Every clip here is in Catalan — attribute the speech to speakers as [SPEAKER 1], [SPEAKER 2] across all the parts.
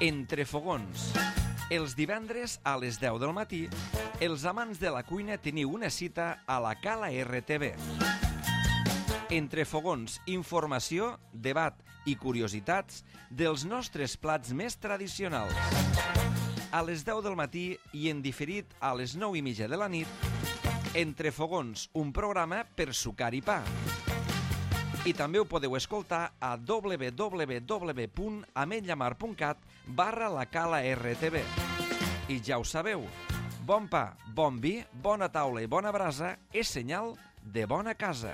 [SPEAKER 1] Entre fogons. Els divendres a les 10 del matí, els amants de la cuina teniu una cita a la Cala RTV. Entre fogons, informació, debat i curiositats dels nostres plats més tradicionals. A les 10 del matí i en diferit a les 9:30 de la nit, Entre fogons, un programa per sucar i pa. I també ho podeu escoltar a www.ametlllamar.cat/la Cala RTV. I ja ho sabeu, bon pa, bon vi, bona taula i bona brasa és senyal de bona casa.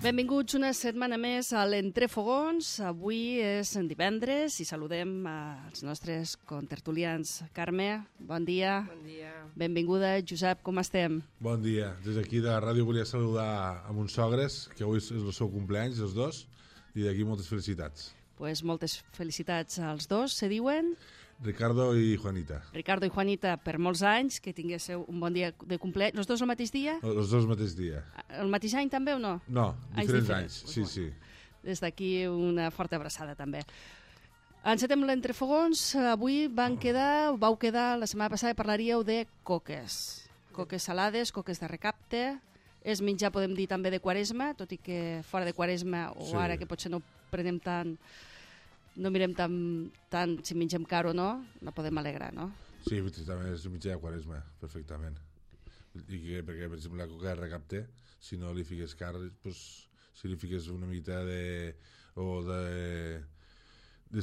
[SPEAKER 2] Benvinguts una setmana més a l'Entre Fogons. Avui és divendres i saludem als nostres contertulians. Carme, bon dia.
[SPEAKER 3] Bon dia.
[SPEAKER 2] Benvinguda. Josep, com estem?
[SPEAKER 4] Bon dia. Des d'aquí de la ràdio volia saludar a mons sogres, que avui és el seu cumpleaños, els dos, i d'aquí moltes felicitats.
[SPEAKER 2] Pues moltes felicitats als dos, se diuen...
[SPEAKER 4] Ricardo i Juanita.
[SPEAKER 2] Ricardo i Juanita, per molts anys, que tinguéssiu un bon dia de cumpleaños. Els dos el mateix dia?
[SPEAKER 4] Els dos el mateix dia.
[SPEAKER 2] El mateix any també o no?
[SPEAKER 4] No, diferents anys. Sí, sí.
[SPEAKER 2] Des d'aquí una forta abraçada també. Encetem l'Entrefogons. Avui vau quedar, la setmana passada parlaríeu de coques. Coques salades, coques de recapte. És menjar, podem dir, també de Quaresma, tot i que fora de Quaresma, o sí, ara que potser no prenem tant... No mirem tant si mengem car o no, no podem alegrar, no?
[SPEAKER 4] Sí, també és mitjà de Quaresma, perfectament. I que, perquè, per exemple, la coca de recapte, si no li fiques car, pues, si li fiques una miqueta de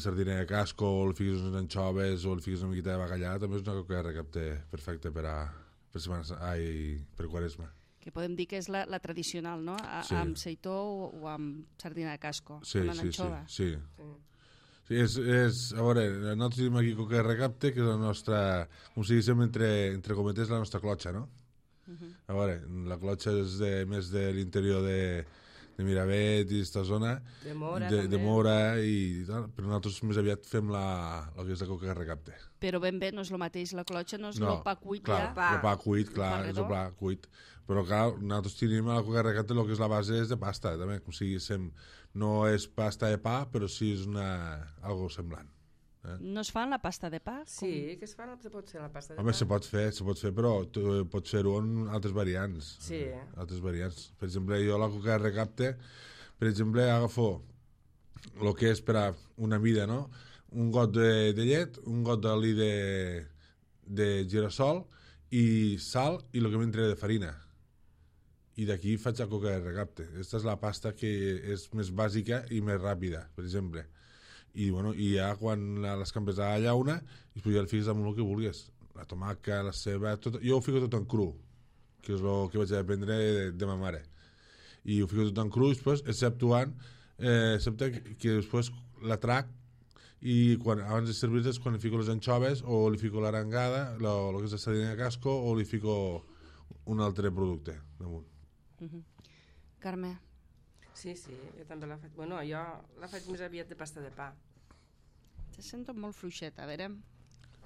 [SPEAKER 4] sardina de casco, o li fiques unes anxoves, o li fiques una miqueta de bacallà, també és una coca de recapte perfecta per Quaresma.
[SPEAKER 2] Que podem dir que és la tradicional, no?
[SPEAKER 4] Sí.
[SPEAKER 2] Amb seitó o amb sardina de casco,
[SPEAKER 4] sí,
[SPEAKER 2] amb l'anxova.
[SPEAKER 4] Sí. Sí, a veure, nosaltres tenim aquí coca de recapte, que és la nostra, com si diguéssim, entre cometes, la nostra clotxa, no? A veure, la clotxa és més de l'interior de Miravet i aquesta zona,
[SPEAKER 3] de Mora,
[SPEAKER 4] de Mora i tal, però nosaltres més aviat fem el que és la coca de recapte.
[SPEAKER 2] Però ben bé no és el mateix, la clotxa no és el pa cuit,
[SPEAKER 4] clar,
[SPEAKER 2] ja?
[SPEAKER 4] El pa cuit, clar, és el pa cuit, però clar, nosaltres tenim a la coca de recapte el que és la base és de pasta, també, com si no és pasta de pa, però sí és algo semblant.
[SPEAKER 2] No es fan la pasta de pa?
[SPEAKER 3] Sí, que es fa, se pot fer la pasta de pa.
[SPEAKER 4] Home, se pot fer, però pots fer-ho en altres variants.
[SPEAKER 3] Sí.
[SPEAKER 4] Altres variants. Per exemple, jo la coca de recapte, per exemple, agafo el que és per a una mida, no? Un got de llet, un got d'oli de girassol i sal i el que m'entra de farina. I d'aquí faig la coca de recapte. Aquesta és la pasta que és més bàsica i més ràpida, per exemple. I ja quan l'escampes a la llauna i després ja el fiques amb el que vulguis, la tomaca, la ceba, tot, jo ho fico tot en cru, que és el que vaig aprendre de ma mare, i ho fico tot en cru, després, excepte que després la trac i abans de servir és quan li fico les anxoves o li fico l'arengada, el que és la sardina de casco, o li fico un altre producte damunt.
[SPEAKER 2] Carme?
[SPEAKER 3] Sí, jo també la faig. Bueno, jo la faig més aviat de pasta de pa.
[SPEAKER 2] Te sento molt fluixeta, a veure,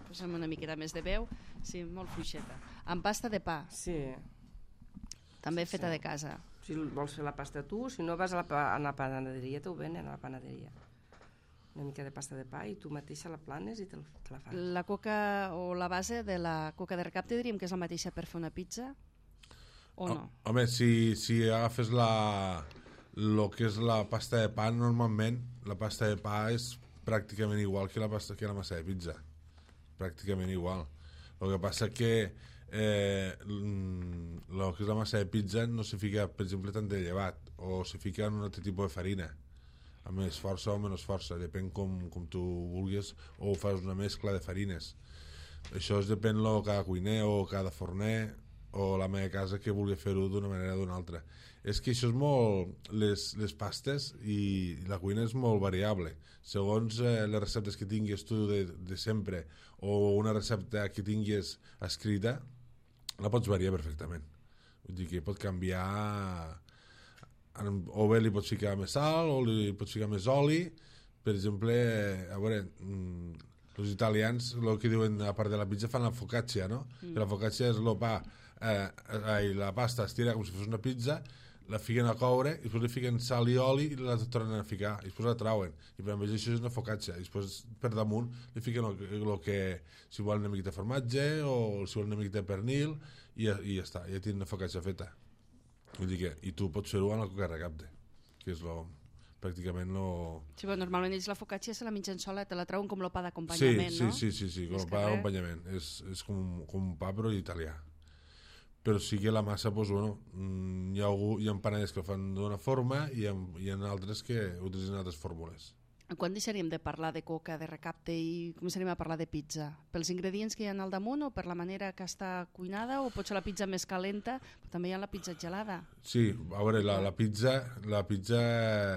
[SPEAKER 2] posa'm una miqueta més de veu. Sí, molt fluixeta. Amb pasta de pa?
[SPEAKER 3] Sí.
[SPEAKER 2] També feta de casa?
[SPEAKER 3] Si vols fer la pasta tu, si no vas a la panaderia, t'ho venen a la panaderia. Una mica de pasta de pa i tu mateixa la planes i te la fas.
[SPEAKER 2] La coca o la base de la coca de recapte diríem que és la mateixa per fer una pizza? O no? Home,
[SPEAKER 4] si agafes el que és la pasta de pa, normalment la pasta de pa és pràcticament igual que la massa de pizza, pràcticament igual. El que passa que el que és la massa de pizza no se fica, per exemple, tant de llevat, o se fica en un altre tipus de farina, amb més força o menys força, depèn com tu vulguis, o fas una mescla de farines. Això depèn de cada cuiner o cada forner o la meva casa que vulgui fer-ho d'una manera o d'una altra. És que això és molt... Les pastes i la cuina és molt variable. Segons les receptes que tinguis tu de sempre o una recepta que tinguis escrita, la pots variar perfectament. Vull dir que pot canviar... O bé li pots ficar més sal o li pots ficar més oli. Per exemple, a veure... els italians, el que diuen a part de la pizza, fan la focaccia, no? Que la focaccia és el pa... la pasta es tira com si fos una pizza, la fiquen a coure i després li fiquen sal i oli i la tornen a ficar i després la trauen i per exemple això és una focaccia i després per damunt li fiquen el que si volen una miqueta de formatge o si volen una miqueta de pernil i ja està, ja tenen una focaccia feta. Vull dir que, i tu pots fer-ho amb la coca recapte, que és pràcticament
[SPEAKER 2] Sí, però normalment ells la focaccia se la mengen sola, te la trauen com el pa d'acompanyament, no?
[SPEAKER 4] Sí, com el pa d'acompanyament. És com un pa però italià. Però sí que la massa, doncs, bueno, hi ha empanades que ho fan d'una forma i hi ha altres que utilitzen altres fórmules.
[SPEAKER 2] Quan deixaríem de parlar de coca, de recapte i començaríem a parlar de pizza? Pels ingredients que hi ha al damunt o per la manera que està cuinada o pot ser la pizza més calenta, però també hi ha la pizza gelada?
[SPEAKER 4] Sí, a veure, la pizza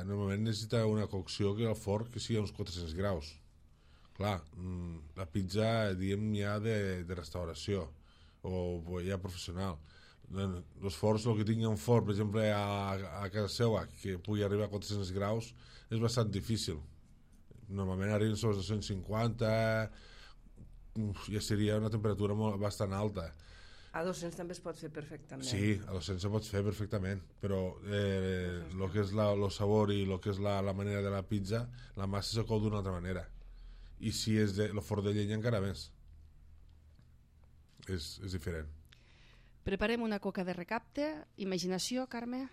[SPEAKER 4] normalment necessita una cocció que al forn que sigui a uns 400 graus. Clar, la pizza, diguem, ja de restauració o ja professional. Els forns, el que tingui un forn, per exemple, a casa seva, que pugui arribar a 400 graus, és bastant difícil. Normalment arriben sobre 250, ja seria una temperatura bastant alta.
[SPEAKER 3] A 200 també es pot fer perfectament.
[SPEAKER 4] Sí, a 200 se pot fer perfectament, però el que és el sabor i el que és la manera de la pizza, la massa se cou d'una altra manera. I si és el forn de llenya encara més. És diferent.
[SPEAKER 2] Preparem una coca de recapte. Imaginació, Carme?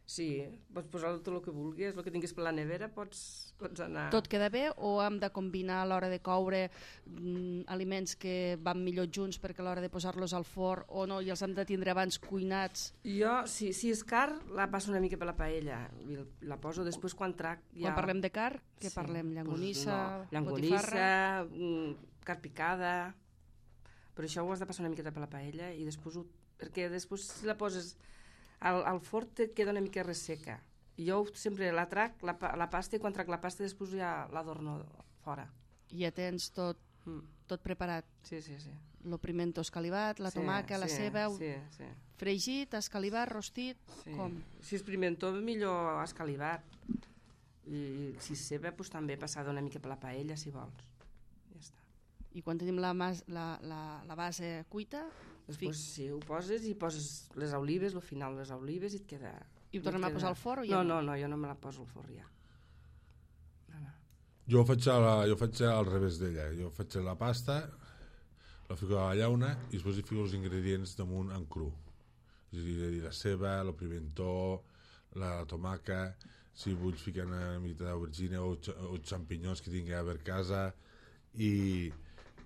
[SPEAKER 3] Sí, pots posar tot el que vulguis, el que tinguis per la nevera pots anar...
[SPEAKER 2] Tot queda bé o hem de combinar a l'hora de coure aliments que van millor junts perquè a l'hora de posar-los al forn o no, i els hem de tindre abans cuinats?
[SPEAKER 3] Jo, si és car, la passo una mica per la paella i la poso després quan trac... Ja...
[SPEAKER 2] Quan parlem de car, què parlem? Llangonissa,
[SPEAKER 3] botifarra, carn picada... Però això ho has de passar una miqueta per la paella i després perquè després si la poses al forn et queda una mica resseca. Jo sempre la trac, la pasta, i quan trac la pasta després ja l'adorno fora.
[SPEAKER 2] I ja tens tot preparat?
[SPEAKER 3] Sí.
[SPEAKER 2] El pimento escalivat, la tomaca, la ceba, fregit, escalivat, rostit, com?
[SPEAKER 3] Si és pimento, millor escalivat. I si és ceba, doncs també passada una mica per la paella, si vols.
[SPEAKER 2] I quan tenim la base cuita...
[SPEAKER 3] Després sí, ho poses i poses les olives, al final les olives i et queda...
[SPEAKER 2] I ho tornem a posar al forn o ja
[SPEAKER 3] no? No, jo no me la poso al forn ja. No.
[SPEAKER 4] Jo faig al revés d'ella. Jo faig la pasta, la fico a la llauna i després hi fico els ingredients damunt en cru. És a dir, la ceba, el pimentó, la tomaca, si vull ficar una mica d'aubergina o xampinyons que tingui a per casa i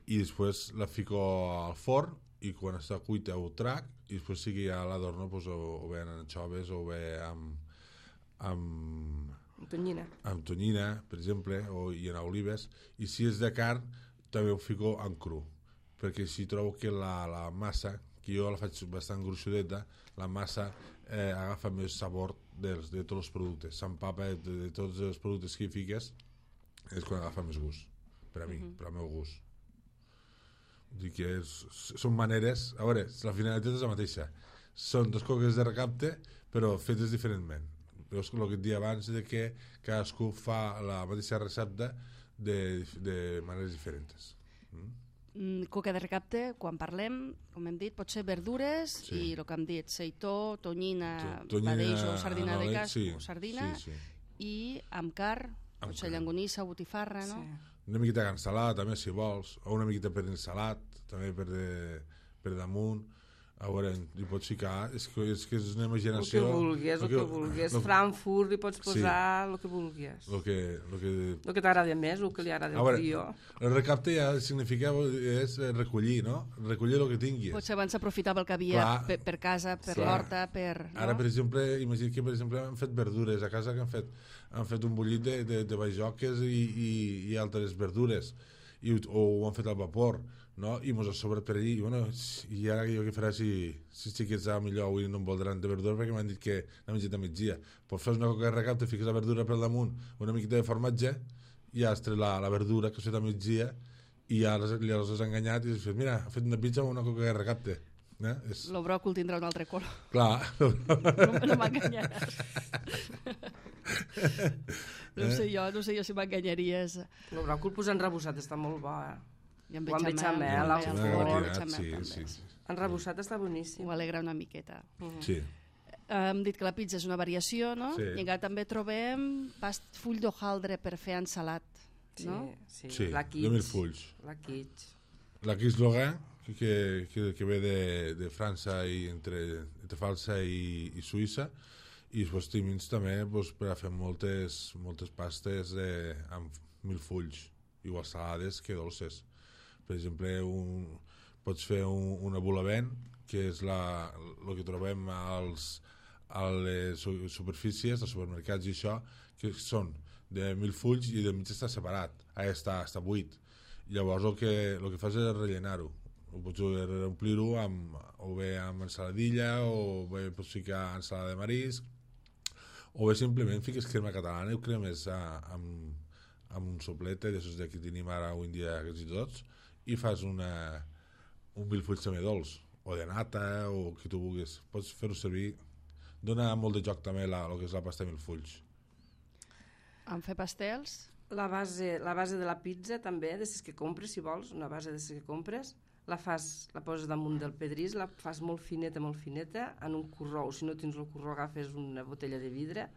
[SPEAKER 4] després la fico al forn i quan està cuita ho trac i després sí que ja l'adorno o bé en anxoves o bé amb tonyina, per exemple, i en olives, i si és de carn també ho fico en cru perquè així trobo que la massa, que jo la faig bastant gruixudeta, la massa agafa més sabor de tots els productes, s'empapa de tots els productes que hi fiques, és quan agafa més gust per a mi, per al meu gust. Dic que són maneres... A veure, la finalitat és la mateixa. Són dos coques de recapte, però fetes diferentment. Veus el que et deia abans de que cadascú fa la mateixa recepta de maneres diferents.
[SPEAKER 2] Coca de recapte, quan parlem, com hem dit, pot ser verdures i el que hem dit, seitó, tonyina, badeix o sardina de cas o sardina, i amb carn, pot ser llangonissa o botifarra, no?
[SPEAKER 4] Una miqueta de cansalada també, si vols, o una miqueta per ensalat, també per damunt. A veure, hi pots ficar, és que és una imaginació...
[SPEAKER 3] El que vulguis, Frankfurt, hi pots posar el que vulguis. El que t'agrada més, el que li agrada al tio.
[SPEAKER 4] El recapte ja significa és recollir, no? Recollir el que tinguis.
[SPEAKER 2] Potser abans s'aprofitava el que havia per casa, per l'horta, per...
[SPEAKER 4] Ara, per exemple, imagina que han fet verdures a casa, que han fet un bullit de bajoques i altres verdures. o ho han fet al vapor, no? I mos ha sobrat per allí, i ara jo què faré si xiquets millor avui no em voldran de verdura perquè m'han dit que n'ha menjat a migdia. Pues fas una coca de recapte, fiques la verdura per damunt, una miqueta de formatge, i ja has tret la verdura que has fet a migdia, i ja els has enganyat i has fet, mira, ha fet una pizza amb una coca de recapte.
[SPEAKER 2] El bròcol tindrà un altre color.
[SPEAKER 4] Clar.
[SPEAKER 2] No m'enganyaràs. No sé jo si m'enganyaries.
[SPEAKER 3] El bròcol posat enrebossat està molt bo,
[SPEAKER 2] I amb
[SPEAKER 3] bechamel, al forn.
[SPEAKER 4] Sí.
[SPEAKER 3] Enrebossat està boníssim.
[SPEAKER 2] Ho alegra una miqueta.
[SPEAKER 4] Sí.
[SPEAKER 2] Hem dit que la pizza és una variació, no?
[SPEAKER 4] Sí.
[SPEAKER 2] I encara també trobem full d'hojaldre per fer ensalat, no?
[SPEAKER 3] Sí, la
[SPEAKER 4] de mil fulls.
[SPEAKER 3] La quiche.
[SPEAKER 4] La quiche Lorrain, que ve de França i entre França i Suïssa, i els timins també per a fer moltes pastes amb mil fulls, igual salades que dolces. Per exemple, pots fer una bulavent, que és el que trobem a les superfícies, als supermercats i això, que són de mil fulls i de mig està separat, està buit. Llavors el que fas és rellenar-ho. Pots omplir-ho o bé amb ensaladilla, o bé pots ficar ensalada de marisc, o bé simplement fiques crema catalana i ho cremes amb un soplete d'aixòs que tenim ara avui en dia quasi tots, i fas un milfull també dolç, o de nata, o que tu vulguis. Pots fer-ho servir. Dona molt de joc també el que és la pasta de milfulls.
[SPEAKER 2] En fer pastels?
[SPEAKER 3] La base de la pizza també, de les que compres, si vols, una base de les que compres, la poses damunt del pedrís, la fas molt fineta, en un corró, o si no tens el corró agafes una botella de vidre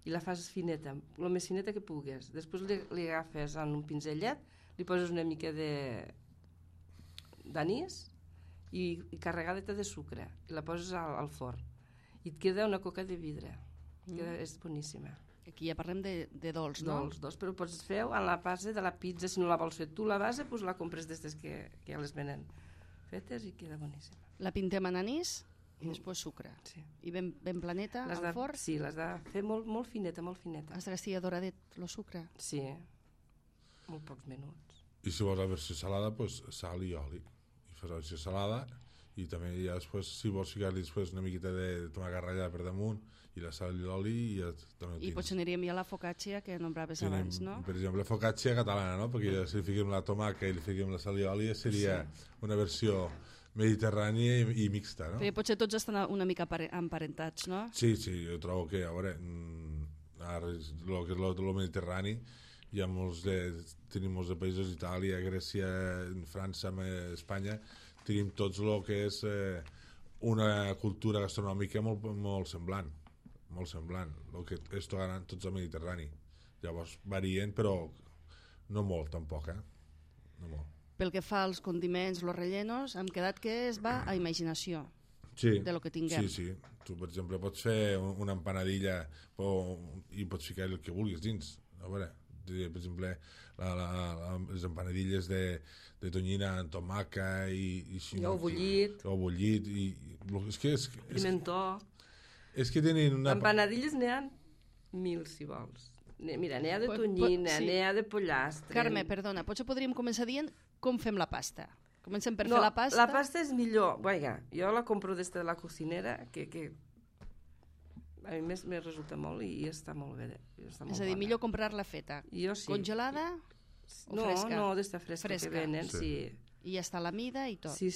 [SPEAKER 3] i la fas fineta, el més fineta que pugues. Després li agafes en un pinzellet, li poses una mica d'anís i carregadeta de sucre i la poses al forn i et queda una coca de vidre. És boníssima.
[SPEAKER 2] Aquí ja parlem de dolç, no?
[SPEAKER 3] Dolç, però pots fer en la base de la pizza. Si no la vols fer tu, la base, doncs la compres d'estes que ja les venen fetes i queda boníssima.
[SPEAKER 2] La pintem en anís i després sucre.
[SPEAKER 3] Sí.
[SPEAKER 2] I ben planeta al forn?
[SPEAKER 3] Sí, l'has de fer molt fineta, molt fineta.
[SPEAKER 2] Has de estar doradet, el sucre?
[SPEAKER 3] Sí, molt pocs minuts.
[SPEAKER 4] I si vols la versió salada, doncs sal i oli. I fas la versió salada i també ja després, si vols ficar-li després una miqueta de tomàquet ratllat per damunt i la sal i l'oli i ja també ho tens.
[SPEAKER 2] I potser aniríem ja a la focaccia que nombraves abans, no?
[SPEAKER 4] Per exemple, focaccia catalana, no? Perquè si li fiquem la tomàquet i li fiquem la sal i l'oli seria una versió mediterrània i mixta, no?
[SPEAKER 2] Perquè potser tots estan una mica emparentats, no?
[SPEAKER 4] Sí, jo trobo que, a veure, ara el que és el mediterrani, hi ha tenim molts de països, Itàlia, Grècia, França, Espanya, tenim tots el que és una cultura gastronòmica molt semblant, el que és tots el Mediterrani. Llavors varien, però no molt tampoc, no molt.
[SPEAKER 2] Pel que fa als condiments, els rellenos, hem quedat que es va a imaginació de lo que tinguem.
[SPEAKER 4] Sí. Tu, per exemple, pots fer una empanadilla i pots ficar el que vulguis dins. A veure, per exemple, les empanadilles de tonyina amb tomaca i
[SPEAKER 3] ou bullit. Pimentó.
[SPEAKER 4] És que tenen una...
[SPEAKER 3] Empanadilles n'hi ha 1000, si vols. Mira, n'hi ha de tonyina, n'hi ha de pollastre.
[SPEAKER 2] Carme, perdona, potser podríem començar dient com fem la pasta. Comencem per fer la pasta.
[SPEAKER 3] La pasta és millor. Vaja, jo la compro des de la cocinera, que a mi me resulta molt i està molt bé. És a dir,
[SPEAKER 2] millor comprar-la feta.
[SPEAKER 3] Jo sí.
[SPEAKER 2] Congelada o fresca?
[SPEAKER 3] No, d'esta fresca que venen, sí.
[SPEAKER 2] I ja està la mida i tot.
[SPEAKER 3] Sí.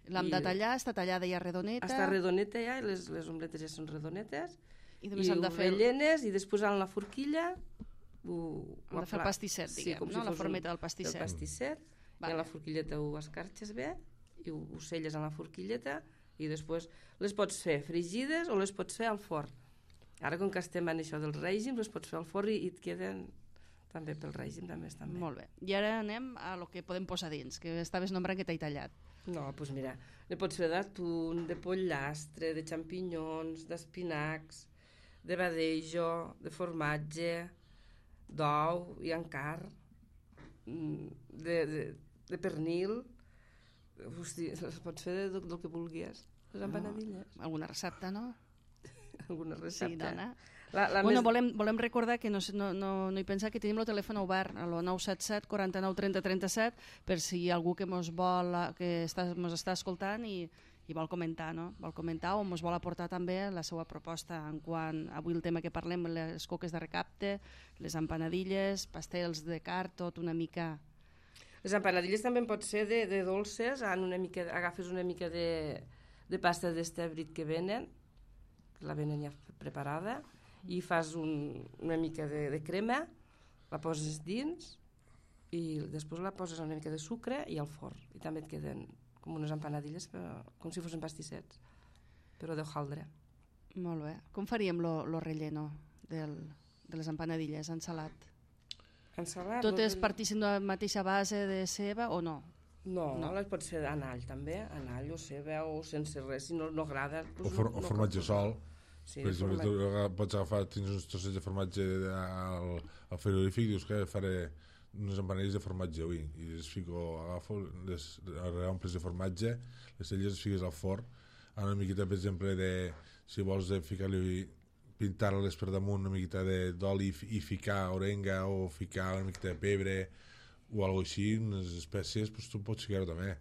[SPEAKER 2] L'hem de tallar, està tallada ja redoneta.
[SPEAKER 3] Està redoneta ja, i les ombletes ja són redonetes.
[SPEAKER 2] I només hem de fer...
[SPEAKER 3] rellenes i després en la forquilla...
[SPEAKER 2] Hem de fer el pastisset, diguem, no? La formeta del pastisset.
[SPEAKER 3] El pastisset, i en la forquilleta ho escarxes bé, i ho selles en la forquilleta, i després les pots fer frigides o les pots fer al forn. Ara, com que estem en això del règim, les pots fer al forn i et queden... també pel règim també estan bé.
[SPEAKER 2] Molt bé. I ara anem a lo que podem posar dins, que estaves nombrant que t'he tallat.
[SPEAKER 3] No, doncs mira, ne pots fer d'atún, de pollastre, de xampinyons, d'espinacs, de badejo, de formatge, d'ou i encar, de pernil. Hosti, les pots fer del que vulguis, les empanadilles.
[SPEAKER 2] Alguna recepta, no?
[SPEAKER 3] Alguna recepta.
[SPEAKER 2] Sí, dona. Bueno, volem recordar que no hi pensar que tenim el telèfon obert al 977 49 30 37 per si hi ha algú que mos està escoltant i vol comentar, no? Vol comentar o mos vol aportar també la seva proposta en quant avui el tema que parlem, les coques de recapte, les empanadilles, pastels de carn, tot una mica...
[SPEAKER 3] Les empanadilles també pot ser de dolces, agafes una mica de pasta d'estebrit que venen, la venen ja preparada, i fas una mica de crema, la poses dins i després la poses una mica de sucre i al forn. I també et queden com unes empanadilles, com si fossin pastissets, però d'hojaldre.
[SPEAKER 2] Molt bé. Com faríem lo relleno de les empanadilles en salat? Totes partissin de la mateixa base de ceba o no?
[SPEAKER 3] No, les pot ser en all també, en all o ceba o sense res, si no agrada...
[SPEAKER 4] O formatge sol. Sí, per exemple, pots agafar, tens uns trossets de formatge al frigorífic i dius que faré unes empanadilles de formatge avui i agafo les amples de formatge, les celles les fiques al forn, una miqueta, per exemple, si vols ficar-li pintar-les per damunt una miqueta d'oli i ficar orenga o ficar una miqueta de pebre o alguna així, unes espècies, doncs tu pots ficar-ho també.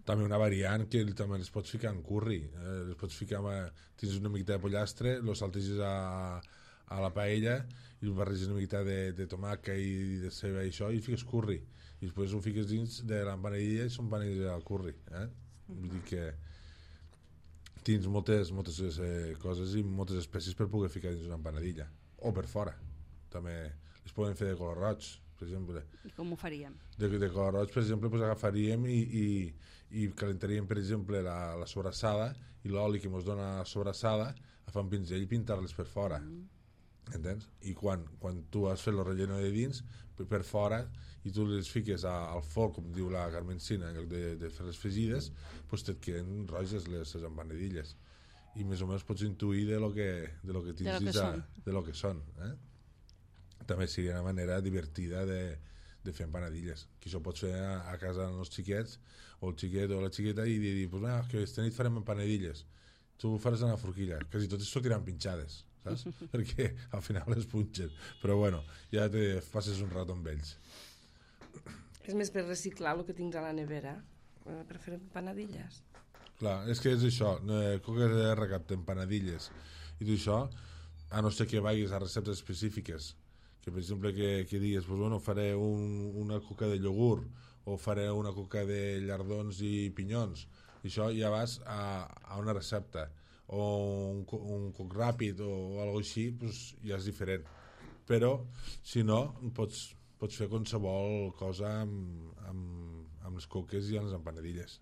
[SPEAKER 4] També una variant que també les pots ficar en curri, les pots ficar tens una miqueta de pollastre, lo salteges a la paella i barreges una miqueta de tomàquet i de ceba i això i fiques curri i després ho fiques dins de l'empanadilla i són empanadilles al curri, vull dir que tens moltes coses i moltes espècies per poder ficar dins una empanadilla o per fora, també les poden fer de color roig, per exemple.
[SPEAKER 2] I com ho faríem?
[SPEAKER 4] De color roig, per exemple, pues agafaríem i calentaríem, per exemple, la sobrassada i l'oli que ens dona la sobrassada a fer un pinzell i pintar-les per fora. Entens? I quan tu has fet el relleno de dins, per fora, i tu les fiques al forn, com diu la Carmencina, en lloc de fer les fregides, doncs et queden roges les empanadilles. I més o menys pots intuir de lo que tens de lo que són. També seria una manera divertida de fer empanadilles, que això pots fer a casa dels xiquets, o el xiquet o la xiqueta, i dir, pues, que esta nit farem empanadilles. Tu ho faràs a la forquilla, quasi totes sortiran pinxades, saps? Perquè al final les punxen. Però bueno, ja te passes un rato amb ells.
[SPEAKER 3] És més per reciclar el que tinc a la nevera, per fer empanadilles.
[SPEAKER 4] Clar, és que és això, coques de recapte, empanadilles i tot això, a no ser que vagis a receptes específiques, que per exemple que digues, pues, bueno, faré una coca de iogurt o faré una coca de llardons i pinyons, i això ja vas a una recepta, o un coc ràpid o alguna cosa així, pues, ja és diferent. Però, si no, pots fer qualsevol cosa amb les coques i amb les empanadilles.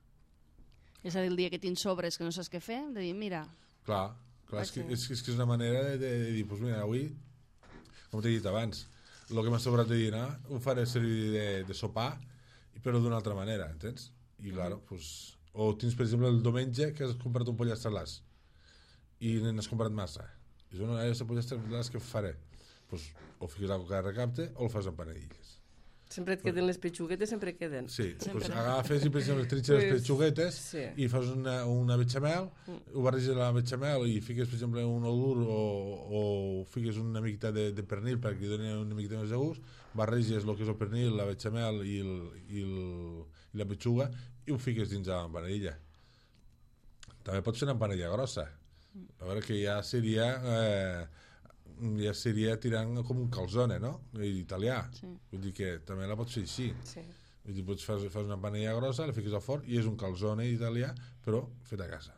[SPEAKER 2] És a dir, el dia que tens sobres que no saps què fer, de dir, mira...
[SPEAKER 4] Clar, és que és una manera de dir, pues mira, avui, com t'he dit abans, el que m'ha sobrat de dinar ho faré servir de sopar, però d'una altra manera, entens? I clar, pues, o tens, per exemple, el diumenge que has comprat un pollastre a l'as i n'has comprat massa. I dius, no, aquest pollastre a l'as que faré? Pues, o fiques la coca de recapte o el fas empanadilles.
[SPEAKER 3] Sempre et queden les petxuguetes, sempre queden.
[SPEAKER 4] Sí, pues agafes i per exemple trinxes les petxuguetes i fas una bechamel, ho barreges la bechamel i fiques per exemple un olor o fiques una miqueta de pernil perquè doni una miqueta més de gust, barreges el que és el pernil, la bechamel i la petxuga i ho fiques dins de l'empanadilla. També pots fer una empanadilla grossa, a veure que ja seria tirant com un calzone, no? Italià. Sí. Vull dir que també la pots fer així. Sí. Vull dir, fas una empanadilla grossa, la fiques al forn i és un calzone italià, però fet a casa.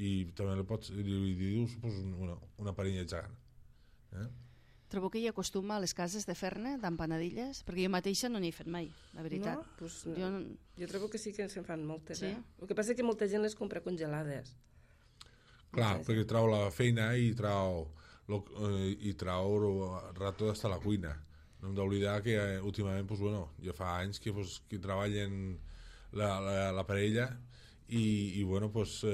[SPEAKER 4] I també la pots dius una parella gegant.
[SPEAKER 2] Trobo que hi ha costum a les cases de fer-ne d'empanadilles, perquè jo mateixa no n'hi he fet mai, la veritat.
[SPEAKER 3] No? Pues no. Jo trobo que sí que se'n fan moltes. Sí? El que passa és que molta gent les compra congelades.
[SPEAKER 4] Clar, perquè trau la feina i trau rato d'estar a la cuina. No hem d'oblidar que últimament, pues, bueno, ja fa anys que treballen la parella i bueno, pues,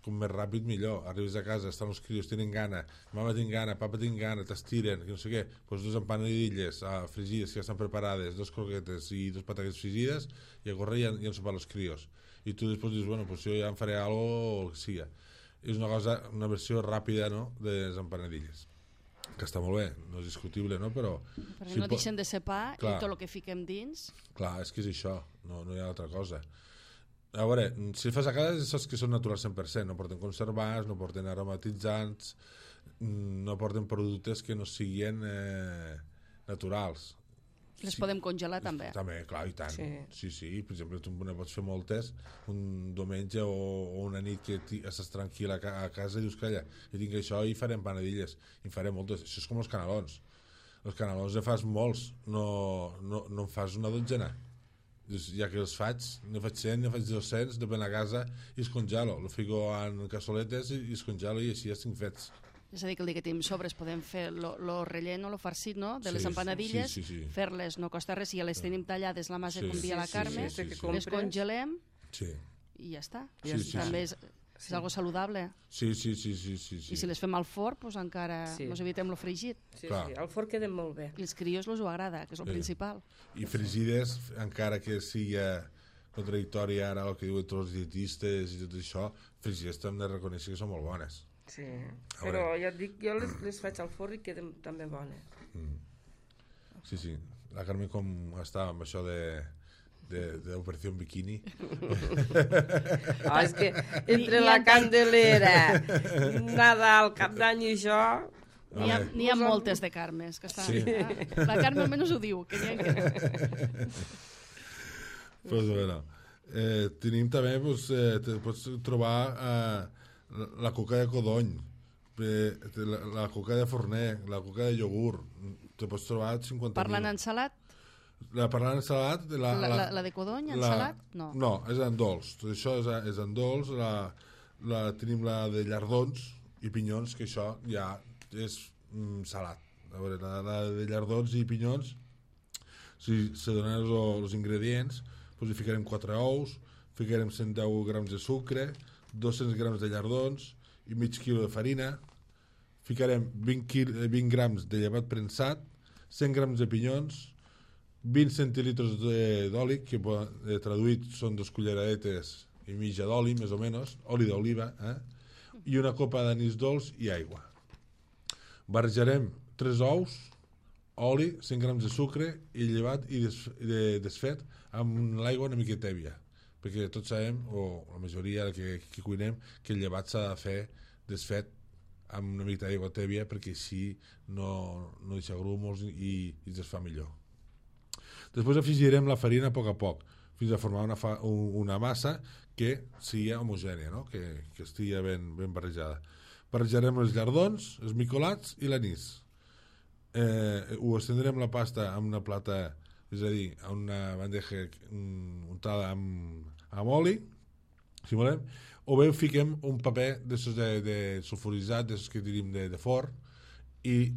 [SPEAKER 4] com més ràpid millor. Arribes a casa, estan els crios, tenen gana, mama tinc gana, papa tinc gana, t'estiren, que no sé què, pues, dos empanadilles fregides que ja estan preparades, dos croquetes i dos patates fregides i a córrer i han sopat els crios. I tu després dius, bueno, pues jo ja em faré algo o el que siga. és una versió ràpida, no?, de les empanadilles, que està molt bé, no és discutible, no?, però
[SPEAKER 2] Perquè no deixen de ser pa i tot el que fiquem dins...
[SPEAKER 4] Clar, és que és això, no hi ha altra cosa. A veure, si fas a casa és saps que són naturals 100%, no porten conservants, no porten aromatitzants, no porten productes que no siguin naturals.
[SPEAKER 2] Les podem congelar també.
[SPEAKER 4] També, clar, i tant. Sí. Per exemple, tu ne pots fer moltes un diumenge o una nit que estàs tranquil a casa i dius, calla, jo tinc això i farem panadilles. I en faré moltes. Això és com els canelons. Els canelons ne fas molts, no en fas una dotzena. Ja que els faig, ne faig 100, ne faig 200, depèn a casa, i es congelo. Lo fico en cassoletes i es congelo i així ja estic fets.
[SPEAKER 2] És a dir, que el dia que tenim sobres podem fer lo relleno, lo farcit, no?, de les empanadilles, fer-les no costa res, si ja les tenim tallades la massa com dia la Carme, les congelem i ja està. També és algo saludable.
[SPEAKER 4] Sí.
[SPEAKER 2] I si les fem al forn, doncs encara ens evitem lo fregit.
[SPEAKER 3] Sí, al forn queden molt bé.
[SPEAKER 2] I els crios els ho agrada, que és el principal.
[SPEAKER 4] I fregides, encara que sigui contradictori ara el que diuen tots els dietistes i tot això, fregides també reconèixer que són molt bones.
[SPEAKER 3] Sí, però ja et dic, jo les faig al forn i queden també bones.
[SPEAKER 4] Sí. La Carme com està amb això d'Operació Bikini.
[SPEAKER 3] És que entre la Candelera, Nadal, Cap d'Any i això...
[SPEAKER 2] N'hi ha moltes de Carmes que estan... La Carme almenys ho diu, que n'hi ha que...
[SPEAKER 4] Pues bueno, tenim també, pots trobar la coca de codony, la coca de forner, la coca de iogurt, te pots trobar 50.000.
[SPEAKER 2] Parlant en salat?
[SPEAKER 4] Parlant en salat...
[SPEAKER 2] La de codony, en salat?
[SPEAKER 4] No, és en dolç. Tot això és en dolç. Tenim la de llardons i pinyons, que això ja és salat. A veure, la de llardons i pinyons, si se donen els ingredients, doncs hi ficarem 4 ous, ficarem 110 grams de sucre, 200 grams de llardons i mig quilo de farina, ficarem 20 grams de llevat prensat, 100 grams de pinyons, 20 centilitres d'oli, que traduït són 2 culleradetes i mitja d'oli, més o menys, oli d'oliva, i una copa d'anís dolç i aigua. Barrejarem 3 ous, oli, 100 grams de sucre i llevat i desfet amb l'aigua una mica tèbia, perquè tots sabem, o la majoria que cuinem, que el llevat s'ha de fer desfet amb una mica d'aigua tèbia perquè així no deixa grumos i es desfà millor. Després afegirem la farina a poc, fins a formar una massa que sigui homogènia, no?, que estigui ben barrejada. Barrejarem els llardons, els micolats i l'anís. Ho estendrem la pasta en una plata, és a dir, en una bandeja untada amb oli, si volem, o bé fiquem un paper de sulfuritzat, de que tenim de forn, i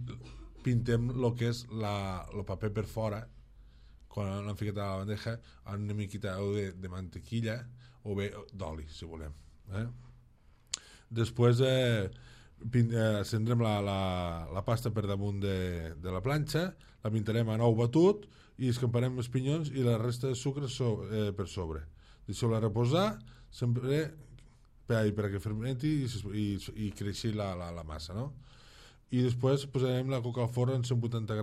[SPEAKER 4] pintem el que és el paper per fora, quan l'hem ficat a la bandeja, amb una miqueta de mantequilla o bé d'oli, si volem. Després acendrem la pasta per damunt de la planxa, la pintarem en ou batut i escamparem els pinyons i la resta de sucre per sobre. Deixeu-la reposar sempre perquè fermenti i creixi la massa, no? I després posarem la coca al forn en 180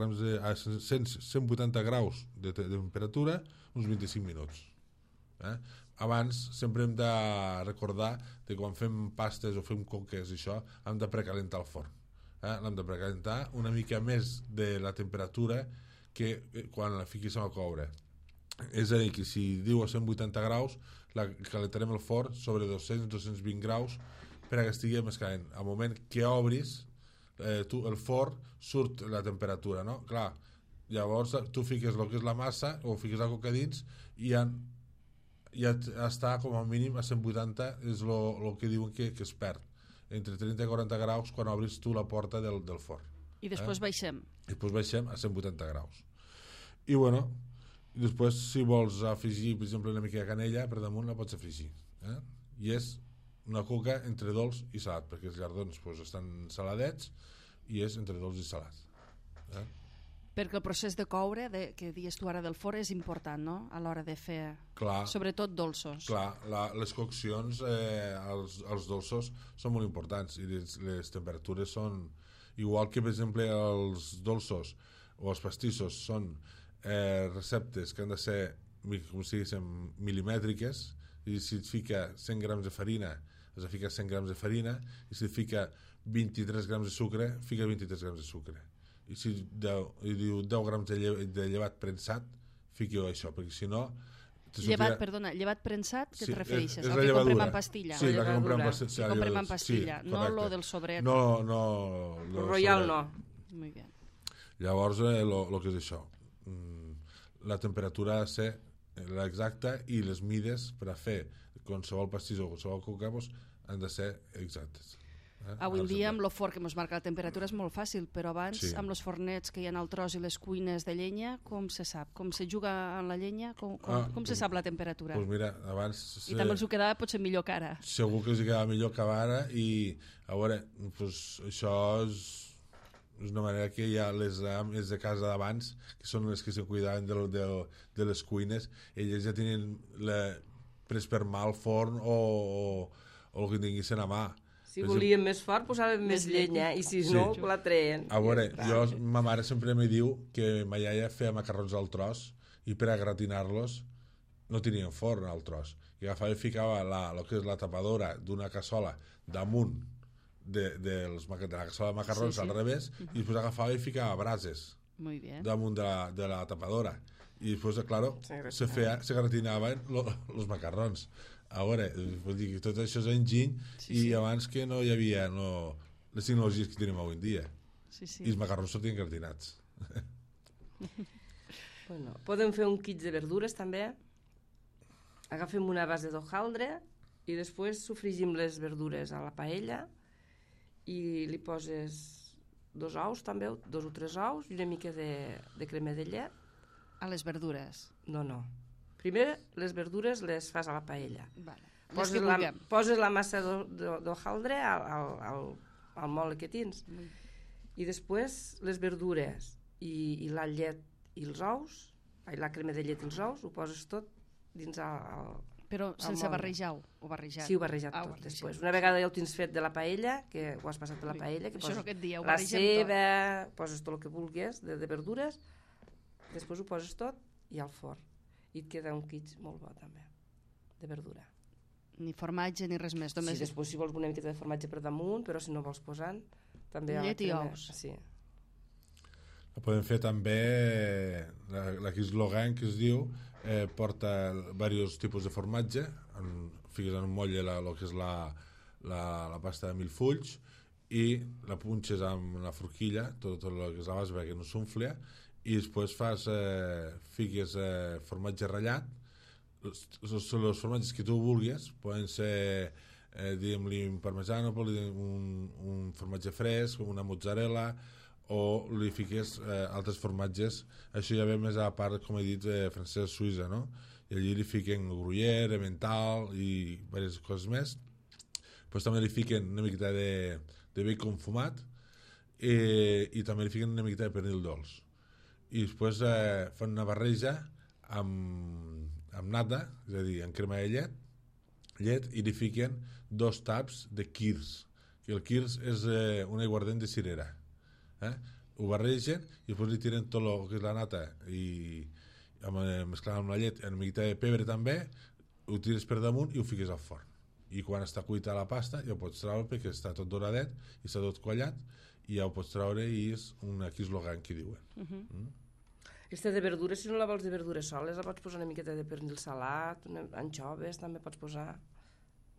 [SPEAKER 4] graus de temperatura uns 25 minuts. Abans sempre hem de recordar que quan fem pastes o fem coques i això hem de precalentar el forn. L'hem de precalentar una mica més de la temperatura que quan la fiquis a coure. És a dir, que si diu a 180 graus la calentarem el forn sobre 200-220 graus perquè estigui més calent. Al moment que obris el forn surt la temperatura, no? Clar, llavors tu fiques el que és la massa o fiques la coca dins i ja està com a mínim a 180, és el que diuen que es perd entre 30 i 40 graus quan obris tu la porta del forn.
[SPEAKER 2] I després baixem.
[SPEAKER 4] Després baixem a 180 graus. I bueno, després si vols afegir per exemple una mica de canella per damunt la pots afegir. I és una coca entre dolç i salat, perquè els llardons estan saladets i és entre dolç i salat.
[SPEAKER 2] Perquè el procés de coure, que dius tu ara del forn, és important, no?, a l'hora de fer,
[SPEAKER 4] Clar.
[SPEAKER 2] sobretot dolços.
[SPEAKER 4] Clar, les coccions, els dolços són molt importants i les temperatures són... Igual que, per exemple, els dolços o els pastissos són receptes que han de ser, com si diguéssim, milimètriques, i si et fica 100 grams de farina, has de ficar 100 grams de farina, i si et fica 23 grams de sucre, fica 23 grams de sucre. I si diu 10 grams de llevat prensat, fiqueu això, perquè si no...
[SPEAKER 2] Llevat prensat, què et refereixes?
[SPEAKER 4] És
[SPEAKER 2] el
[SPEAKER 4] la
[SPEAKER 2] que
[SPEAKER 4] llevadura.
[SPEAKER 2] comprem en pastilla.
[SPEAKER 4] Sí, la que comprem en pastilla.
[SPEAKER 2] Que comprem en pastilla,
[SPEAKER 4] Sí,
[SPEAKER 2] no lo del sobret.
[SPEAKER 4] No.
[SPEAKER 3] El Royal no.
[SPEAKER 2] Muy bien.
[SPEAKER 4] Llavors, el que és això, la temperatura ha de ser l'exacta i les mides per a fer qualsevol pastís o qualsevol coca han de ser exactes.
[SPEAKER 2] Avui en dia amb el forn que ens marca la temperatura és molt fàcil, però abans amb els fornets que hi ha al tros i les cuines de llenya, com se sap? Com se juga en la llenya? Com se sap la temperatura?
[SPEAKER 4] Doncs mira, abans...
[SPEAKER 2] I també els ho quedava potser millor que ara.
[SPEAKER 4] Segur que els quedava millor que ara i a veure, doncs, això és una manera que hi ha les ames de casa d'abans, que són les que se cuidaven de les cuines, elles ja tenien pres per mà el forn o el que tinguessin a mà.
[SPEAKER 3] Si volien més fort, posaven més llenya, i si no, la treien.
[SPEAKER 4] A veure, ma mare sempre me diu que ma iaia feia macarrons al tros i per a gratinar-los no tenien forn al tros. I agafava i ficava el que és la tapadora d'una cassola damunt de la cassola de macarrons al revés i després agafava i ficava brases damunt de la tapadora. I després, clar, se gratinaven els macarrons. A veure, vull dir que tot això és enginy i abans que no hi havia les tecnologies que tenim avui en dia. I els macarrons sortien gratinats.
[SPEAKER 3] Bueno, podem fer un kit de verdures també. Agafem una base d'hojaldre i després sofregim les verdures a la paella i li poses 2 ous també, 2 o 3 ous i una mica de crema de llet.
[SPEAKER 2] A les verdures?
[SPEAKER 3] No. Primer les verdures les fas a la paella.
[SPEAKER 2] Vale.
[SPEAKER 3] Poses la massa d'hojaldre al mole que tens i després les verdures i la llet i els ous, la crema de llet i els ous, ho poses tot dins
[SPEAKER 2] Però sense barrejar-ho, o barrejat?
[SPEAKER 3] Sí, ho barrejat tot. Després, una vegada ja ho tens fet de la paella, que ho has passat de la paella, que poses la ceba, poses tot el que vulguis de verdures, després ho poses tot i al forn. I et queda un kit molt bo també, de verdura.
[SPEAKER 2] Ni formatge ni res més.
[SPEAKER 3] Sí, després si vols una miqueta de formatge per damunt, però si no vols posant, també...
[SPEAKER 2] Llet i ous.
[SPEAKER 3] Sí.
[SPEAKER 4] Podem fer també la Kislogan, que es diu, porta diversos tipus de formatge, fiques en un motlle el que és la pasta de milfulls i la punxes amb la forquilla, tot el que és la base perquè no s'unfla, i després fiques formatge ratllat, els formatges que tu vulguis, poden ser diguem-li un parmesano, un formatge fresc, una mozzarella, o li fiques altres formatges. Això ja ve més a la part, com he dit, francès-suïssa, no? I allí li fiquen gruyère, emmental i diverses coses més. Després també li fiquen una miqueta de bacon fumat i també li fiquen una miqueta de pernil dolç. I després fan una barreja amb nata, és a dir, amb crema de llet, i li fiquen 2 taps de quirs. I el quirs és un aiguardent de cirera. Ho barregen i després li tiren tot el que és la nata i mesclant amb la llet una miqueta de pebre també, ho tires per damunt i ho fiques al forn. I quan està cuita la pasta ja ho pots treure perquè està tot doradet i està tot quallat i ja ho pots treure i és una Kislogan que diuen.
[SPEAKER 3] Aquesta de verdures, si no la vols de verdures soles, la pots posar una miqueta de pernil salat, anxoves també pots posar.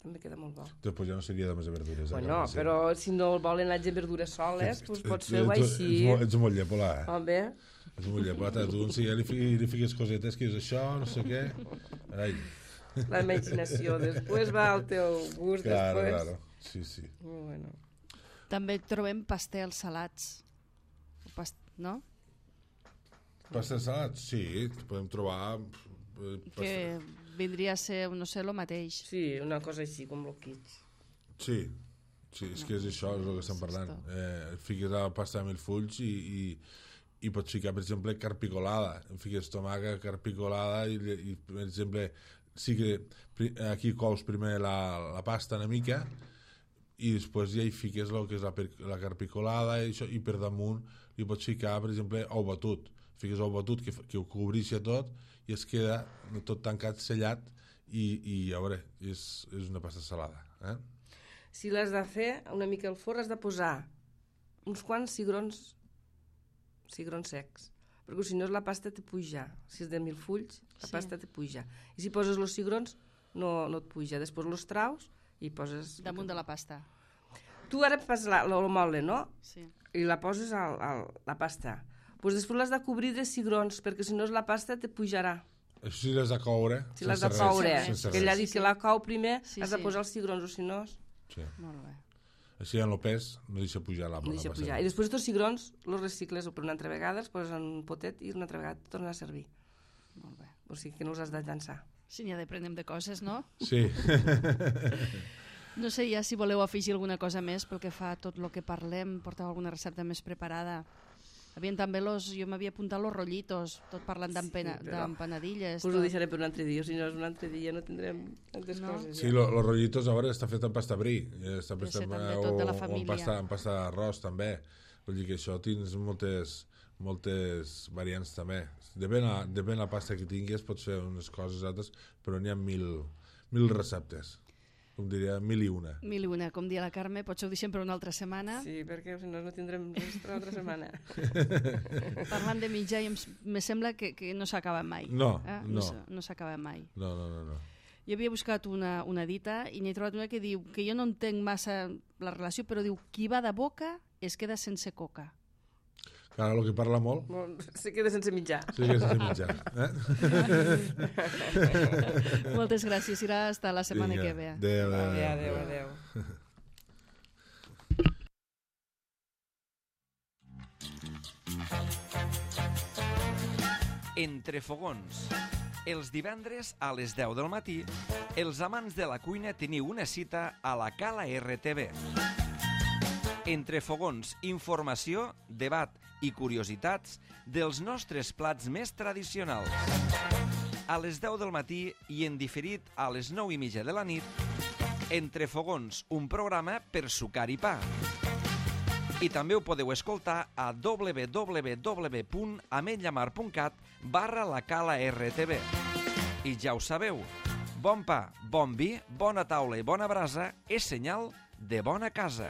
[SPEAKER 3] També queda molt bo.
[SPEAKER 4] Després ja no seria de més de verdures.
[SPEAKER 3] Bueno, però si no volen anar de verdures soles, doncs pots fer-ho així.
[SPEAKER 4] Ets molt llepola,
[SPEAKER 3] Home.
[SPEAKER 4] Ets molt llepola. Tu li fiques cosetes que és això, no sé què. Ai.
[SPEAKER 3] La imaginació. Després va al teu gust.
[SPEAKER 4] Claro. Sí.
[SPEAKER 3] Bueno.
[SPEAKER 2] També trobem pastels salats. No?
[SPEAKER 4] Pastels salats? Sí, podem trobar...
[SPEAKER 2] Que vindria a ser, no sé, el mateix.
[SPEAKER 3] Sí, una cosa així, com el kit.
[SPEAKER 4] Sí, és que és això, és el que estem parlant. Fiques la pasta de milfulls i pots ficar, per exemple, carpicolada. Fiques tomàquet, carpicolada i per exemple, sí que aquí cous primer la pasta una mica i després ja hi fiques el que és la carpicolada i per damunt li pots ficar, per exemple, ou batut. Fiques ou batut que ho cobrixa tot i es queda tot tancat, sellat i a veure, és una pasta salada.
[SPEAKER 3] Si l'has de fer una mica al forn, has de posar uns quants cigrons secs, perquè si no la pasta te puja. Si és de 1000 fulls, la pasta te puja. I si poses els cigrons, no et puja. Després els traus i poses...
[SPEAKER 2] Damunt de la pasta.
[SPEAKER 3] Tu ara fas el mole, no?
[SPEAKER 2] Sí.
[SPEAKER 3] I la poses a la pasta. Pues després l'has de cobrir de cigrons, perquè si no la pasta te pujarà.
[SPEAKER 4] Això sí l'has de coure.
[SPEAKER 3] Si l'has de coure, que ell ha dit que la cou primer, has de posar els cigrons, o si no...
[SPEAKER 4] Sí.
[SPEAKER 2] Molt bé.
[SPEAKER 4] Així en el pes no deixa pujar la
[SPEAKER 3] no deixa pujar. I després els cigrons els recicles per una altra vegada, els poses en un potet i una altra vegada et tornen a servir.
[SPEAKER 2] Molt bé.
[SPEAKER 3] O sigui que no els has de llançar.
[SPEAKER 2] Sí, n'hi ha d'aprenem de coses, no?
[SPEAKER 4] Sí.
[SPEAKER 2] No sé ja si voleu afegir alguna cosa més pel que fa a tot el que parlem, porteu alguna recepta més preparada. Havien també jo m'havia apuntat los rollitos, tot parlant d'empanadilles.
[SPEAKER 3] Us ho deixaré per un altre dia, si no és un altre dia no tindrem tantes coses.
[SPEAKER 4] Sí, los rollitos a veure està fet en pasta brie, està fet
[SPEAKER 2] també tot de la família.
[SPEAKER 4] O en pasta d'arròs també. Vull dir que això tens moltes variants també. Depèn la pasta que tinguis, pots fer unes coses altres, però n'hi ha mil receptes. Com diria, 1001.
[SPEAKER 2] 1001, com dia la Carme, potser ho deixem per una altra setmana.
[SPEAKER 3] Sí, perquè si no tindrem res per l'altra setmana.
[SPEAKER 2] Parlant de mitjà, me sembla que no s'acaba mai.
[SPEAKER 4] No.
[SPEAKER 2] No s'acaba mai.
[SPEAKER 4] No.
[SPEAKER 2] Jo havia buscat una dita i n'he trobat una que diu que jo no entenc massa la relació, però diu, qui va de boca es queda sense coca.
[SPEAKER 4] Clar, el que parla molt...
[SPEAKER 3] Se queda sense mitjà.
[SPEAKER 4] Se queda sense mitjà.
[SPEAKER 2] Moltes gràcies, serà hasta la setmana que ve.
[SPEAKER 3] Adéu.
[SPEAKER 1] Entre fogons. Els divendres a les 10 del matí, els amants de la cuina teniu una cita a la Cala RTV. Entre fogons, informació, debat i curiositats dels nostres plats més tradicionals. A les 10 del matí i en diferit a les 9:30 de la nit, Entre fogons, un programa per sucar i pa. I també ho podeu escoltar a www.ametlllamar.cat/la Cala RTV. I ja ho sabeu, bon pa, bon vi, bona taula i bona brasa és senyal de bona casa.